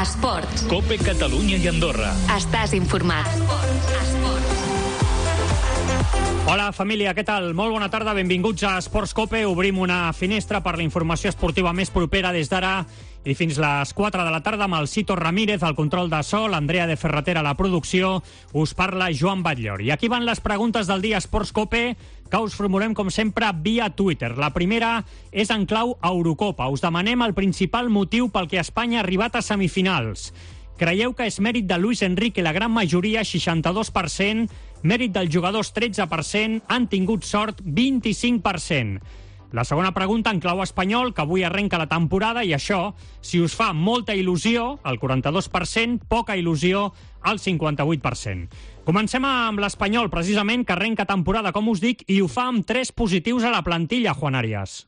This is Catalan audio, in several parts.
Esports. COPE Catalunya i Andorra. Estàs informat. Hola, família, què tal? Molt bona tarda, benvinguts a Esports COPE. Obrim una finestra per la informació esportiva més propera des d'ara i fins les 4 de la tarda amb el Cito Ramírez, al control de so, l'Andrea de Ferratera a la producció. Us parla Joan Batllor. I aquí van les preguntes del dia Esports COPE, que us formulem, com sempre, via Twitter. La primera és en clau Eurocopa. Us demanem el principal motiu pel que Espanya ha arribat a semifinals. Creieu que és mèrit de Luis Enrique la gran majoria, 62%, mèrit dels jugadors, 13%, han tingut sort, 25%. La segona pregunta en clau espanyol, que avui arrenca la temporada, i això, si us fa molta il·lusió, el 42%, poca il·lusió, el 58%. Comencem amb l'Espanyol, precisament, que arrenca temporada, com us dic, i ho fa amb 3 positius a la plantilla, Juan Arias.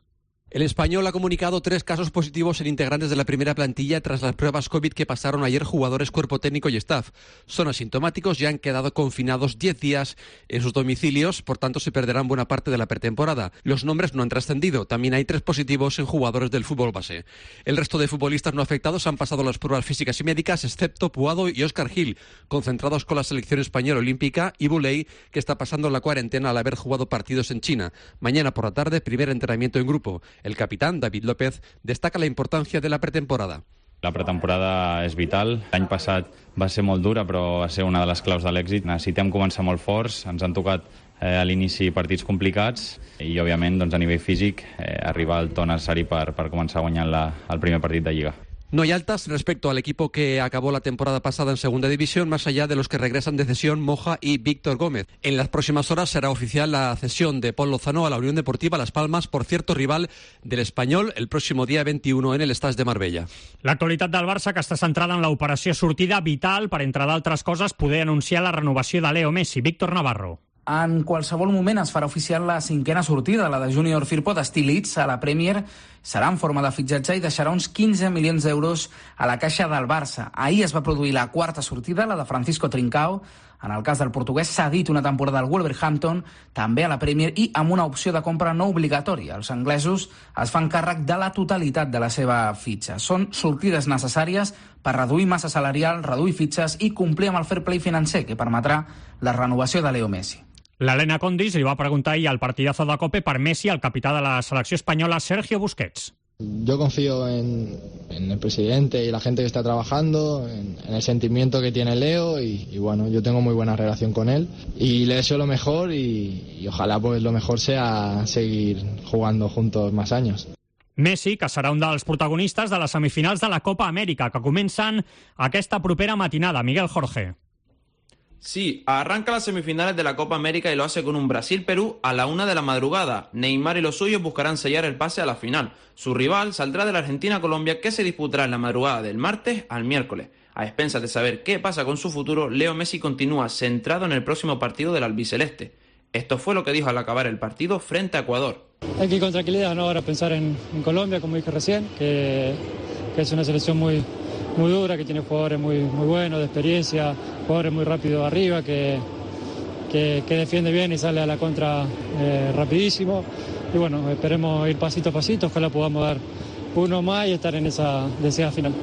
El Español ha comunicado 3 casos positivos en integrantes de la primera plantilla tras las pruebas COVID que pasaron ayer jugadores, cuerpo técnico y staff. Son asintomáticos y han quedado confinados 10 días en sus domicilios, por tanto se perderán buena parte de la pretemporada. Los nombres no han trascendido, también hay 3 positivos en jugadores del fútbol base. El resto de futbolistas no afectados han pasado las pruebas físicas y médicas, excepto Puado y Óscar Gil, concentrados con la selección española olímpica, y Buley, que está pasando la cuarentena al haber jugado partidos en China. Mañana por la tarde, primer entrenamiento en grupo. El capitán, David López, destaca la importancia de la pretemporada. La pretemporada és vital. L'any passat va ser molt dura, però va ser una de les claus de l'èxit. Necessitem començar molt forts, ens han tocat a l'inici partits complicats i, òbviament, doncs, a nivell físic, arribar al to necessari per començar guanyant el primer partit de Lliga. No hay altas respecto al equipo que acabó la temporada pasada en segunda división, más allá de los que regresan de cesión Moja y Víctor Gómez. En las próximas horas será oficial la cesión de Pol Lozano a la Unión Deportiva Las Palmas, por cierto rival del Espanyol el próximo día 21 en el Estadi de Marbella. L'actualitat del Barça, que està centrada en l'operació sortida vital per, entre d'altres coses, poder anunciar la renovació de Leo Messi. Víctor Navarro. En qualsevol moment es farà oficial la 5a sortida, la de Junior Firpo d'estil Leeds a la Premier. Serà en forma de fitxatge i deixarà uns 15 milions d'euros a la caixa del Barça. Ahir es va produir la 4a sortida, la de Francisco Trincao. En el cas del portuguès s'ha dit una temporada al Wolverhampton, també a la Premier, i amb una opció de compra no obligatòria. Els anglesos es fan càrrec de la totalitat de la seva fitxa. Són sortides necessàries per reduir massa salarial, reduir fitxes i complir amb el fair play financer, que permetrà la renovació de Leo Messi. L'Helena Condis li va preguntar ahir al partidazo de COPE per Messi al capità de la selecció espanyola, Sergio Busquets. Yo confío en el presidente y la gente que está trabajando, en el sentimiento que tiene Leo y bueno, yo tengo muy buena relación con él y le deseo lo mejor y ojalá pues lo mejor sea seguir jugando juntos más años. Messi, que serà un dels protagonistes de les semifinals de la Copa Amèrica, que comencen aquesta propera matinada. Miguel Jorge. Sí, arranca las semifinales de la Copa América y lo hace con un Brasil-Perú a la 1 de la madrugada. Neymar y los suyos buscarán sellar el pase a la final. Su rival saldrá de la Argentina-Colombia, que se disputará en la madrugada del martes al miércoles. A expensas de saber qué pasa con su futuro, Leo Messi continúa centrado en el próximo partido del albiceleste. Esto fue lo que dijo al acabar el partido frente a Ecuador. Hay que ir con tranquilidad, ¿no? Ahora pensar en Colombia, como dije recién, que es una selección muy dura, que tiene jugadores muy buenos, de experiencia, jugadores muy rápidos arriba, que defiende bien y sale a la contra rapidísimo. Y bueno, esperemos ir pasito a pasito, ojalá podamos dar uno más y estar en esa deseada final.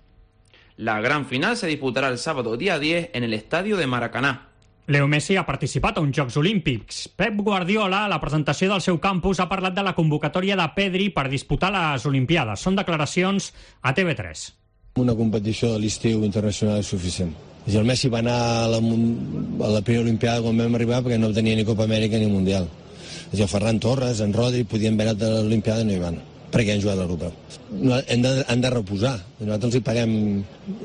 La gran final se disputarà el sábado día 10 en el estadio de Maracaná. Leo Messi ha participat a uns Jocs Olímpics. Pep Guardiola, a la presentació del seu campus, ha parlat de la convocatòria de Pedri per disputar les Olimpiades. Són declaracions a TV3. Una competició de l'estiu internacional és suficient. El Messi va anar a la primera Olimpiada quan vam arribar perquè no tenia ni Copa Amèrica ni Mundial. El Ferran Torres, en Rodri, podien haver anat a l'Olimpiada i no hi van, perquè han jugat a l'Europeu. Han de reposar. Nosaltres els hi paguem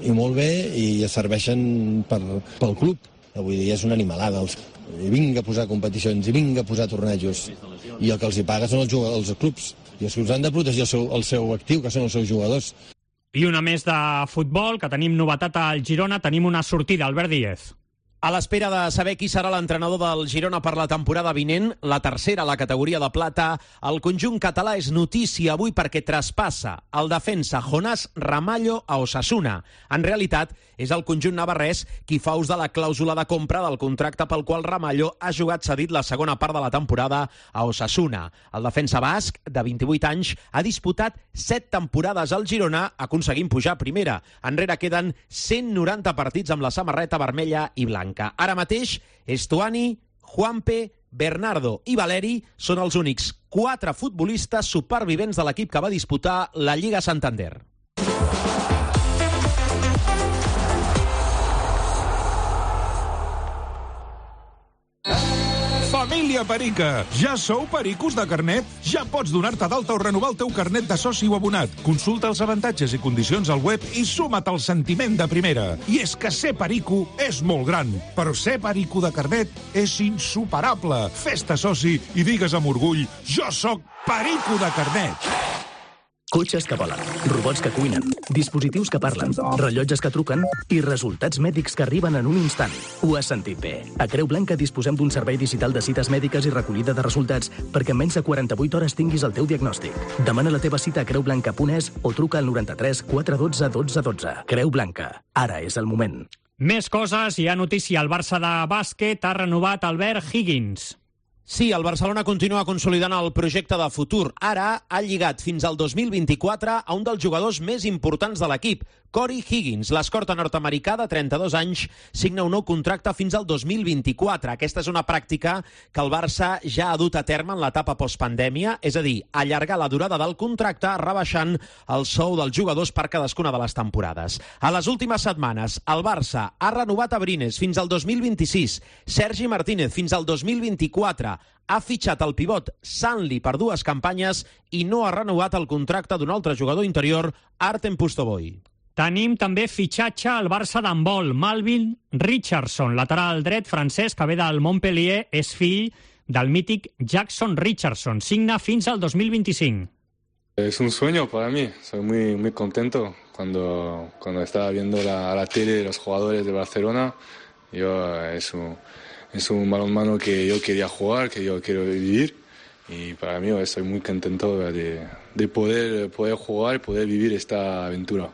i molt bé i es serveixen pel club. Vull dir, és una animalada. I vinga a posar competicions, i vinga a posar tornejos. I el que els hi paga són els clubs. I els clubs han de protegir el seu actiu, que són els seus jugadors. I una més de futbol, que tenim novetat al Girona, tenim una sortida, Albert Díez. A l'espera de saber qui serà l'entrenador del Girona per la temporada vinent, la tercera a la categoria de plata, el conjunt català és notícia avui perquè traspassa el defensa Jonás Ramallo a Osasuna. En realitat, és el conjunt navarrès qui fa ús de la clàusula de compra del contracte pel qual Ramallo ha jugat cedit la segona part de la temporada a Osasuna. El defensa basc, de 28 anys, ha disputat 7 temporades al Girona, aconseguint pujar a primera. Enrere queden 190 partits amb la samarreta vermella i blanca. Ara mateix, Estuani, Juanpe, Bernardo i Valeri són els únics 4 futbolistes supervivents de l'equip que va disputar la Lliga Santander. Família Perica, ja sou pericos de carnet? Ja pots donar-te d'alta o renovar el teu carnet de soci o abonat. Consulta els avantatges i condicions al web i suma't al sentiment de primera. I és que ser perico és molt gran, però ser perico de carnet és insuperable. Fes-te soci i digues amb orgull: jo sóc perico de carnet. Cotxes que volen, robots que cuinen, dispositius que parlen, rellotges que truquen i resultats mèdics que arriben en un instant. Ho has sentit bé. A Creu Blanca disposem d'un servei digital de cites mèdiques i recollida de resultats perquè en menys de 48 hores tinguis el teu diagnòstic. Demana la teva cita a creublanca.es o truca al 93 412 12 12. Creu Blanca. Ara és el moment. Més coses. Hi ha notícia. El Barça de bàsquet ha renovat Albert Higgins. Sí, el Barcelona continua consolidant el projecte de futur. Ara ha lligat fins al 2024 a un dels jugadors més importants de l'equip, Corey Higgins. L'escorta nord-americà de 32 anys signa un nou contracte fins al 2024. Aquesta és una pràctica que el Barça ja ha dut a terme en l'etapa postpandèmia, és a dir, allargar la durada del contracte rebaixant el sou dels jugadors per cadascuna de les temporades. A les últimes setmanes, el Barça ha renovat a Brines fins al 2026, Sergi Martínez fins al 2024, ha fitxat el pivot Sanli per 2 campanyes i no ha renovat el contracte d'un altre jugador interior, Artem Pustovoy. Tenim també fitxatge al Barça d'handbol. Malvin Richardson, lateral dret francès que ve del Montpellier, és fill del mític Jackson Richardson. Signa fins al 2025. Es un sueño para mí. Soy muy contento cuando estaba viendo a la tele los jugadores de Barcelona. Es un balonmano que yo quería jugar, que yo quiero vivir. Y para mí estoy muy contento de poder jugar y poder vivir esta aventura.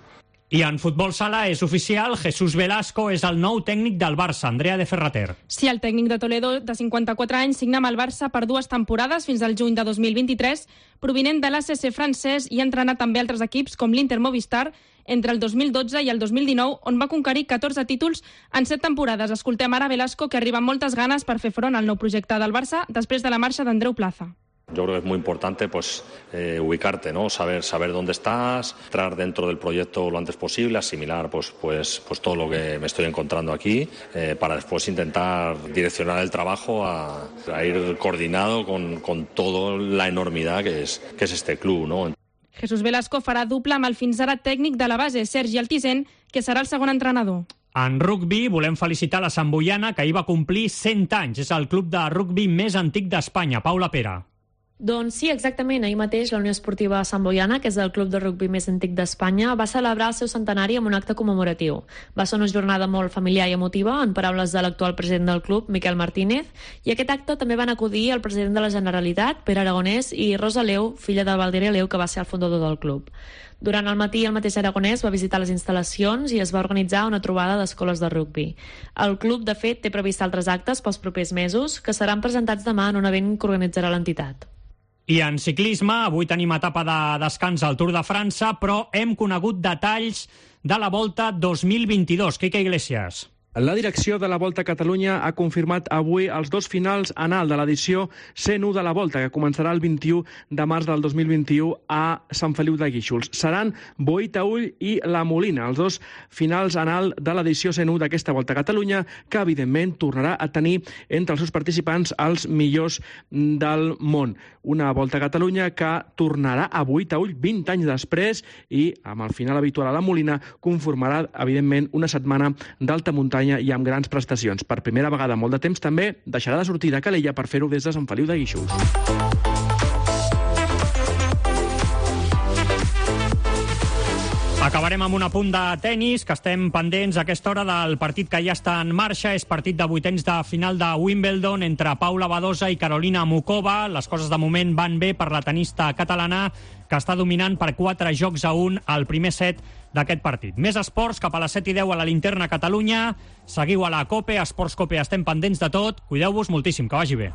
I en futbol sala és oficial, Jesús Velasco és el nou tècnic del Barça. Andrea de Ferrater. Sí, el tècnic de Toledo, de 54 anys, signa amb el Barça per 2 temporades fins al juny de 2023, provinent de l'ACC francès i ha entrenat també altres equips com l'Inter Movistar entre el 2012 i el 2019, on va conquerir 14 títols en 7 temporades. Escoltem ara Velasco, que arriba amb moltes ganes per fer front al nou projecte del Barça després de la marxa d'Andreu Plaza. Yo creo que es muy importante ubicarte, ¿no? Saber dónde estás, entrar dentro del proyecto lo antes posible, asimilar pues todo lo que me estoy encontrando aquí, para después intentar direccionar el trabajo a ir coordinado con toda la enormidad que es este club, ¿no? Jesús Velasco farà dupla amb el fins ara tècnic de la base, Sergi Altisent, que serà el segon entrenador. En rugbi volem felicitar la Santboiana, que ahir va complir 100 anys. És el club de rugbi més antic d'Espanya. Paula Pera. Doncs sí, exactament. Ahir mateix la Unió Esportiva Santboiana, que és el club de rugbi més antic d'Espanya, va celebrar el seu centenari amb un acte commemoratiu. Va ser una jornada molt familiar i emotiva, en paraules de l'actual president del club, Miquel Martínez, i a aquest acte també van acudir el president de la Generalitat, Pere Aragonès, i Rosa Leu, filla de Valdiré Leu, que va ser el fundador del club. Durant el matí, el mateix Aragonès va visitar les instal·lacions i es va organitzar una trobada d'escoles de rugbi. El club, de fet, té previst altres actes pels propers mesos, que seran presentats demà en un event que organitzarà l'entitat. I en ciclisme, avui tenim etapa de descans al Tour de França, però hem conegut detalls de la Volta 2022. Quique Iglesias. La direcció de la Volta a Catalunya ha confirmat avui els 2 finals anal de l'edició 101 de la Volta, que començarà el 21 de març del 2021 a Sant Feliu de Guíxols. Seran Boí-Taüll i La Molina, els 2 finals anal de l'edició 101 d'aquesta Volta a Catalunya, que evidentment tornarà a tenir entre els seus participants els millors del món. Una Volta a Catalunya que tornarà a Boí-Taüll 20 anys després i, amb el final habitual a La Molina, conformarà, evidentment, una setmana d'alta muntanya i amb grans prestacions. Per primera vegada en molt de temps també deixarà de sortir de Calella per fer-ho des de Sant Feliu de Guíxols. Acabarem amb un apunt de tenis, que estem pendents a aquesta hora del partit que ja està en marxa. És partit de vuitens de final de Wimbledon entre Paula Badosa i Carolina Mucova. Les coses de moment van bé per la tenista catalana, que està dominant per 4-1 al primer set d'aquest partit. Més esports, cap a les 7:10 a la Linterna Catalunya. Seguiu a la COPE, a Esports COPE, estem pendents de tot. Cuideu-vos moltíssim, que vagi bé.